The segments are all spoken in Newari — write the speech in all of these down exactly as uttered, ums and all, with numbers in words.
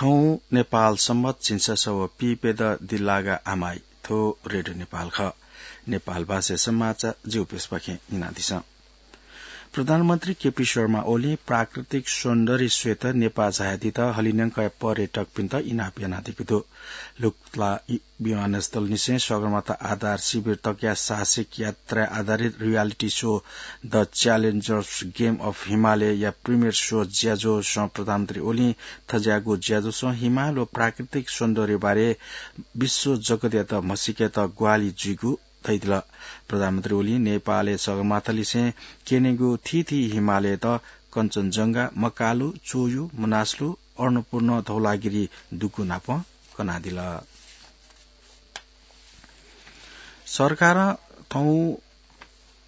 थौं नेपाल सम्बत झिंछसः व पीप्यदँ दिल्लागा आमाइ। थ्व रेडियो नेपाल खः। नेपाल भाषा समाचार जिगु प्यसपाखें न्यनादिसँ। प्रधानमन्त्री केपी शर्मा ओलीं प्राकृतिक सौन्दर्य स्वयेत नेपाः झायादीत हलिंन्यंकया पर्यटकपिन्त इनाप यानादीगु दु। लुकुतला इ-, विमानस्थलनिसें सगरमाथा आधार शिविर तकया साहसिक यात्रा आधारित reality show The Challengers Game of Himalaya या premiere show ज्याझ्वलय् प्रधानमन्त्री ओलीं थज्याःगु ज्याझ्वलय् हिमाल व प्राकृतिक सौन्दर्यबारे विश्व जगतयात म्हसीकेत ग्वाहालि जुइगु धयादिल। प्रधानमन्त्री ओलीं नेपालय् सगरमाथालिसें क्यनेगु थीथी हिमालयत कञ्चनजंघा, मकालु, चोयु, मनासलु, अन्नपूर्ण, धौलागिरी दुगु नाप कनादिल। सरकारं थौं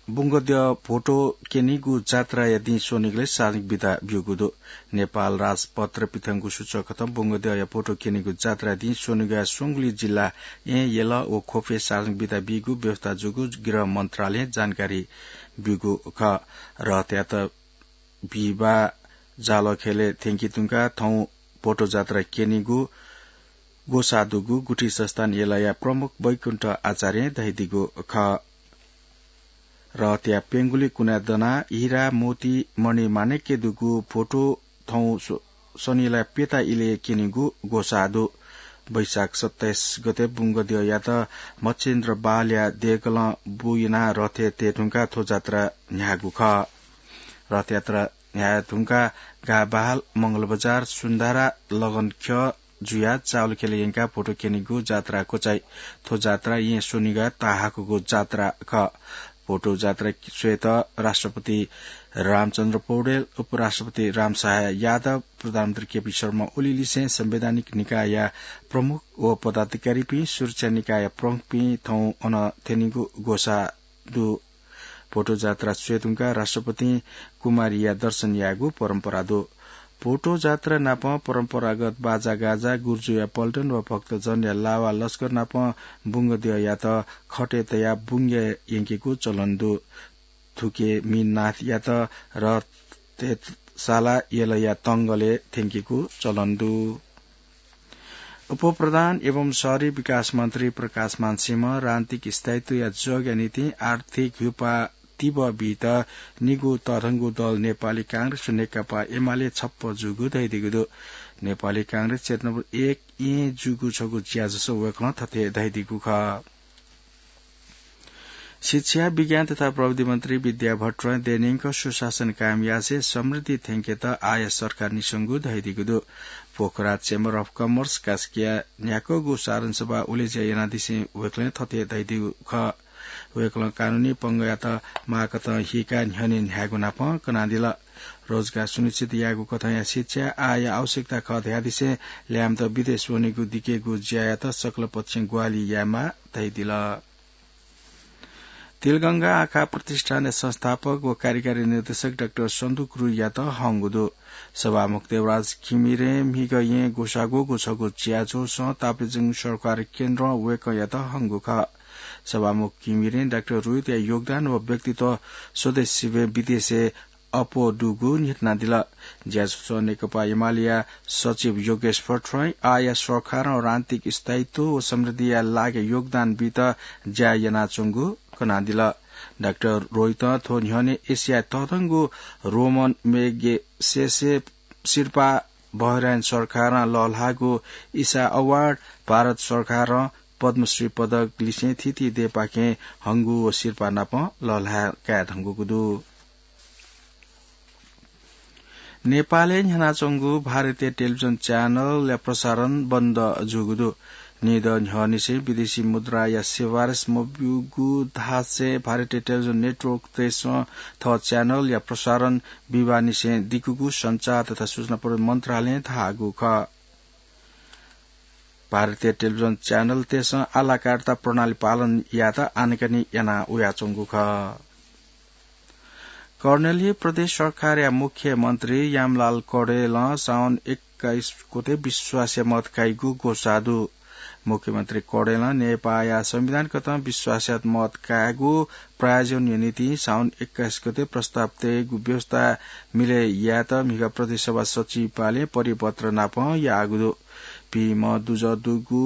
बुंगद्यः भोटो क्यनीगु जात्राया दिं स्वनिगलय् सार्वजनिक बिदा ब्यूगु दु। नेपाल राजपत्र पिथंगु सूचक कथं बुंगद्यःया भोटो क्यनीगु जात्राया दिं स्वनिगः स्वंगुलिं जिल्ला येँ, यल व ख्वपय् सार्वजनिक बिदा बीगु व्यवस्था जूगु गृह मन्त्रालयं जानकारी ब्यूगु खः। रथयात बिहिबाः जालखेलय् थ्यंके धुंकाः थौं भोटो जात्रा क्यनीगु ग्वसाः दुगु गुठी संस्थान यलया प्रमुख वैकुण्ठ आचार्यं धयादीगु खः। रथया प्यंगुलि कुनाय् दनाः हिरा, मोती, मणि, माणिक्य दुगु भोटो थौं स्व-, स्वनिगलय् प्यता इलय् क्यनीगु ग्वसाः दु। वैशाख सत्ताइस गते बुंगद्यःयात मच्छिन्द्र बहालया देगलं बु यनाः रथय् तये धुंकाः थ्व जात्रा न्ह्याःगु खः। रथयात्रा न्ह्याये धुंकाः गाः बहाल, मंगलबजार, सुन्धारा, लगनख्यः जुयाः चावलखेलय् यंकाः भोटो क्यनीगु जात्रा क्वचाइ। थ्व जात्रा येँ स्वनिगः ताहाकःगु जात्रा खः। भोटो जात्रा स्वयेत राष्ट्रपति रामचन्द्र पौडेल, उपराष्ट्रपति रामसहाय यादव, प्रधानमन्त्री केपी शर्मा ओली लिसें संवैधानिक निकायया प्रमुख व पदाधिकारीपिं, सुरक्षा निकायया प्रमुखपिं थौं अन थ्यनीगु ग्वसाः दु। भोटो जात्रा स्वये धुंकाः राष्ट्रपतिं कुमारीया दर्शन यायेगु परम्परा दु। भोटो जात्रा नाप परम्परागत बाजागाजा, गुर्जुया पल्टन व भक्तजनया लावा लस्कर नाप बुंगद्यःयात खटय् तयाः बुंगय् यंकेगु चलन दु। थुके मीननाथयात रथय् सालाः यलया तंगलय् थ्यंकेगु चलन दु। उपप्रधान एवं शहरी विकास मन्त्री प्रकाशमान सिंहं राजनीतिक स्थायित्वया जगया निंतिं आर्थिक ह्युपाः तिबः बीत निगू तःधंगु दल नेपाली कांग्रेस व नेकपा एमाले छप्पँ जूगु धयादीगु दु। नेपाली कांग्रेस क्षेत्र नम्बर एक येँ जूगु छगू ज्याझ्वलय् वय्कलं थथे धयादीगु खः। शिक्षा, विज्ञान तथा प्रविधि मन्त्री विद्या भट्टराईं देय्‌न्यंक सुशासन कायम यासें समृद्धि थ्यंकेत आःया सरकार निसंगु धयादीगु दु। पोखरा Chamber of Commerce कास्कीया न्ह्याक्वःगु साधारण सभा उलेज्या यानादिसें वय्कलं थथे धयादीगु खः। वय्कलं कानूनी पंगःयात माःकथं हीकाः न्ह्यःने न्ह्यायेगु नाप कनादिल। रोजगार सुनिश्चित यायेगु कथंया शिक्षा आःया आवश्यकता खः धयादिसें ल्याय्म्हत विदेश वनेगु दिकेगु ज्यायात सकल पक्षं ग्वाहालि यायेमाः धयादिल। तिलगंगा आँखा प्रतिष्ठानया संस्थापक व कार्यकारी निर्देशक डाक्टर सन्दुक रुइयात हंगु दु। सभामुख देवराज घिमिरें म्हिगः येँ ग्वसाः ग्वःगु छगू ज्याझ्वलय् ताप्लेजुङ सरकारी केन्द्रं वय्कःयात हंगु खः। सभामुख घिमिरें डाक्टर रुइतया योगदान व व्यक्तित्व स्वदेशीं विदेशय् अप्वः दुगु न्ह्यथनादिल। ज्याझ्वलय् नेकपा एमालेया सचिव योगेश भट्टराईं आःया सरकारं राजनीतिक स्थायित्व व समृद्धिया लागि योगदान बीत ज्या यानाच्वंगु कनादिल। डाक्टर रुइतं थ्व न्ह्यःने एसियाय् तःधंगु रोमन मेगसेसे सिरपाः, बहराइन सरकारं लःल्हाःगु ईसा अवार्ड, भारत सरकारं पद्मश्री पदक लिसें थीथी देय्‌पाखें हंगु व सिरपाः नाप लःल्हाये काये धुंकूगु दु। नेपालय् न्ह्यानाच्वंगु भारतीय टेलिभिजन च्यानलया प्रसारण बन्द जूगु दु। निदँ न्ह्यःनिसें विदेशी मुद्राया सिफारिस मब्यूगु धासें भारतीय टेलिभिजन नेटवर्कतय्‌सं थः च्यानलया प्रसारण बिबाःनिसें दिकूगु सञ्चार तथा सूचना प्रविधि मन्त्रालयं धाःगु खः। भारतीय टेलिभिजन च्यानलतय्‌सं आलाकार्ता प्रणाली पालन यायेत आनाकानी याना वयाच्वंगु खः। कर्णेली प्रदेश सरकारया मुख्यमन्त्री यामलाल कडेलं साउन एक्काइस गते विश्वासया मत काइगु ग्वसाः दु। मुख्यमन्त्री कौडेलं नेपाःया संविधान कथं विश्वासयात मत कायेगु प्रायोजन निंतिं साउन एक्काइस गते प्रस्ताव तयेगु व्यवस्था मिले यायेत म्हिगः प्रदेश सभा सचिवालयं परिपत्र नापं याःगु दु। पीम्ह दुजः दुगु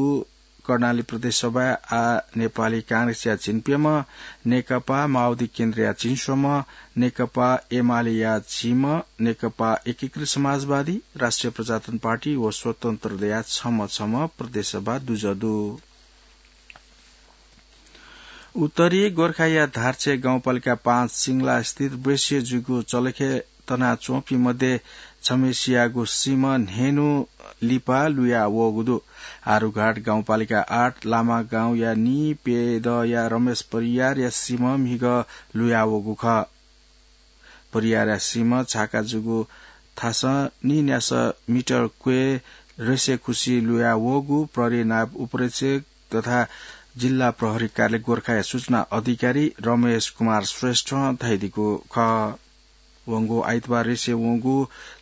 कर्णाली प्रदेश सभाय् आः नेपाली कांग्रेसया झिंप्यम्ह, नेकपा माओवादी केन्द्रया झिंस्वम्ह, नेकपा एमालेया झिम्ह, नेकपा एकीकृत समाजवादी, राष्ट्रिय प्रजातन्त्र पार्टी व स्वतन्त्रया छम्ह छम्ह प्रदेश सभा दुजः दु। उत्तरी गोर्खाया धार्छे गाउँपालिका पाँच सिंगला स्थित वृष्य जुगु चलखे तनाच्वंपिं मध्ये छम्हेसियागु सीम्ह न्हय्न्हु लिपा लुया वःगु दु। आरुघाट गाउँपालिका आठ लामा गाउँया नीप्यदँया रमेश परियारया सीम्ह म्हिगः लुया वःगु खः। परियारया सीम्ह छाका जूगु थासं नीन्यासः मिटर क्वय् रेसे खुसी लुया वःगु प्रहरी नायब उपरीक्षक तथा जिल्ला प्रहरी कार्यालय गोर्खाया सूचना अधिकारी रमेश कुमार श्रेष्ठं धयादीगु खः। वंगु आइतबार रेसे वंगु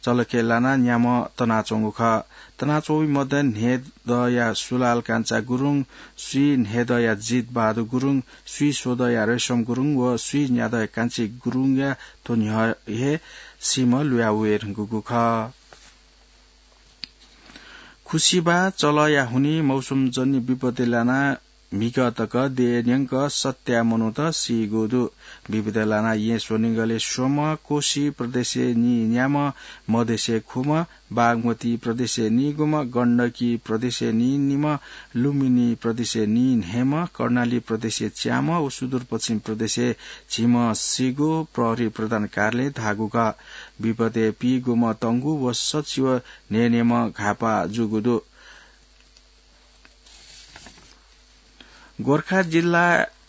चलखे लानाः न्याम्ह तनाच्वंगु खः। तनाच्वंपिं मध्ये न्हय्दँया सुलाल कान्छा गुरुङ, स्वीन्हय्दँया जित बहादुर गुरुङ, स्वीस्वदँया रेशम गुरुङ व स्वीन्यादँया कान्छी गुरुङया थ्व न्ह्यः हे सीम्ह लुया वये धुंकूगु खः। खुसिबा चलःया हुनिं मौसमजन्य विपत्ति लानाः म्हिगः तक देय् न्यंक सत्याः मनूत सीगु दु। विपत्ति लानाः येँ स्वनिगलय् स्वम्ह, कोशी प्रदेशय् नीन्याम्ह, मधेशय् खुम्ह, बागमती प्रदेशय् नीगुम्ह, गण्डकी प्रदेशय् नीनिम्ह, लुम्बिनी प्रदेशय् नीन्हय्म्ह, कर्णाली प्रदेशय् च्याम्ह व सुदूरपश्चिम प्रदेशय् झिम्ह सीगु प्रहरी प्रधान कार्यालयं धाःगु खः। विपत्तिय् पीगुम्ह तंगु व सच्छि व न्हय्न्हय्म्ह घाःपाः जूगु दु। गोर्खा जिल्ला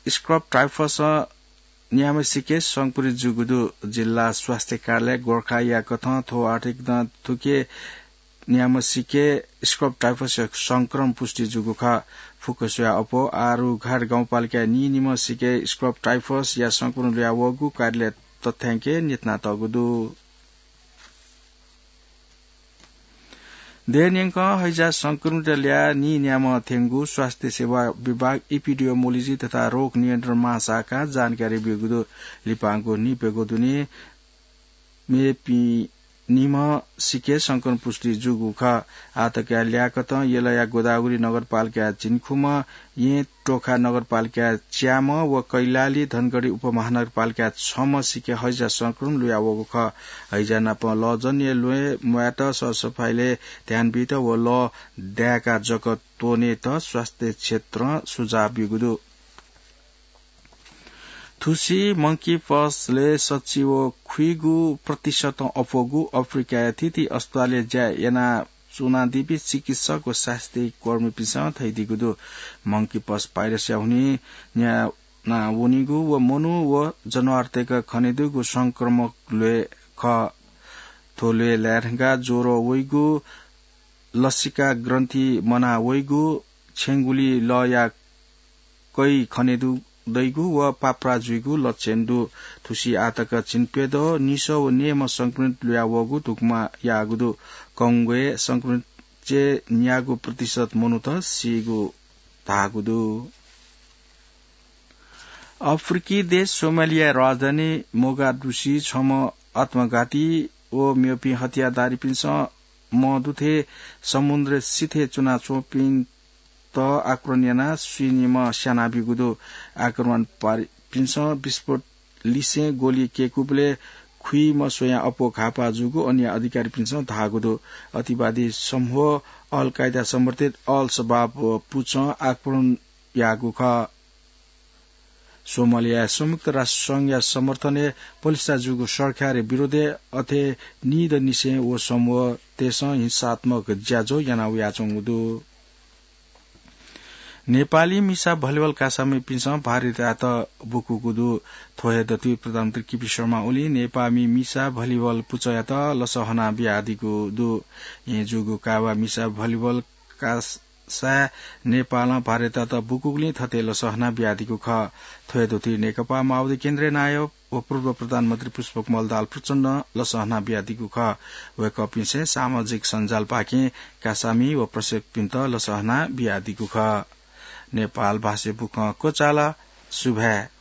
स्क्रब टाइफसं न्याम्हसिके संक्रमित जूगु दु। जिल्ला स्वास्थ्य कार्यालय गोर्खाया कथं थ्व आर्थिक दँ थुके न्याम्हसिके स्क्रब टाइफसया संक्रमण पुष्टि जूगु खः। फुक्क स्वयाः अप्वः आरुघाट गाउँपालिकाया नीनिम्हसिके स्क्रब टाइफसया संक्रमण लुया वःगु कार्यालयं तथ्यांकय् न्ह्यथनातःगु दु। देय् न्यंकं हैजा संक्रमित ल्याः नीन्याम्ह थ्यंगु स्वास्थ्य सेवा विभाग, इपिडियोमोलोजी तथा रोग नियन्त्रण महाशाखां जानकारी ब्यूगु दु। लिपांगु नीप्यघौ दुने मेपिं निम्हसिके संक्रमण पुष्टि जूगु खः। आःतकया ल्याः कथं यलया गोदावरी नगरपालिकाया झिंखुम्ह, येँ टोखा नगरपालिकाया च्याम्ह व कैलाली धनगढी उपमहानगरपालिकाया छम्हसिके हैजा संक्रमण लुया वःगु खः। हैजा नाप लःजन्य ल्वय् म्वायेत, सरसफाइलय् ध्यान बीत व लः दाय्काः जक त्वनेत स्वास्थ्य क्षेत्रं सुझाव ब्यूगु दु। थुसी मंकी पक्सलय् सच्छि व खुइगु प्रतिशतं अप्वःगु अफ्रिकाया थीथी अस्पतालय् ज्या यानाच्वनादीपिं चिकित्सक व स्वास्थ्य कर्मीपिन्सं धयादीगु दु। मंकी पक्स भाइरसया हुनिं न्याना वनीगु व मनू व जनावरतय्क खनेदुगु संक्रमक ल्वय् खः। थ्व ल्वय् लायेधंकाः ज्वरं वइगु, लसिका ग्रन्थि मना वइगु, छेँगुली लःया कै खनेदु दइगु व पाप्रा जुइगु लक्षण दु। थुसी आःतक झिंप्यदँ निसः व नेमं संक्रमित लुया वःगु धुकुमा याःगु दु। कंगोय् संक्रमितय् न्यागू प्रतिशत मनूत सीगु धाःगु दु। अफ्रिकी देश सोमालिया राजधानी मोगादुसी छम्ह आत्मघाती व मेपिं हतियारधारीपिन्सं मदुथें समुद्र सिथय् च्वनाच्वंपिन्त आक्रमण यानाः स्वीनिम्ह स्यानाब्यूगु दु। आक्रमणकारीपिन्सं विस्फोट लिसें गोली कय्कूबलय् खुइम्ह स्वयां अप्वः घाःपाः जूगु अन्य अधिकारीपिन्सं धाःगु दु। अतिवादी समूह अल कायदा समर्थित अल शबाब पुचं आक्रमण याःगु खः। सोमालियाय् संयुक्त राष्ट्र संघया समर्थनय् पलिस्था जूगु सरकारया विरोधय् अथे निदँनिसें व समूहतय्सं हिंसात्मक ज्याझ्वः याना वयाच्वंगु दु। नेपाली मिसा भलिबल कासामिपिन्सं भारतयात बुकूगु दु। थ्व हे दथुइ प्रधानमन्त्री केपी शर्मा ओलीं नेपाःमि मिसा भलिबल पुचःयात लसः हना बियादीगु दु। येँ जूगु कावा मिसा भलिबल कास साय् नेपालं भारतयात बुकूगुलिं थथे लसहना बियादीगु खः। थ्वय् दुथुइ नेकपा माओवादी केन्द्रीय नायब व पूर्व प्रधानमन्त्री पुष्पकमल दाहाल प्रचण्डं लसहना बियादीगु खः। वय्कःपिन्सं सामाजिक सञ्जालपाखें कासामि व प्रशिक्षकपिन्त लसहना बियादीगु खः। नेपाल भाषा बुखँ क्वचाल। सुभाय्।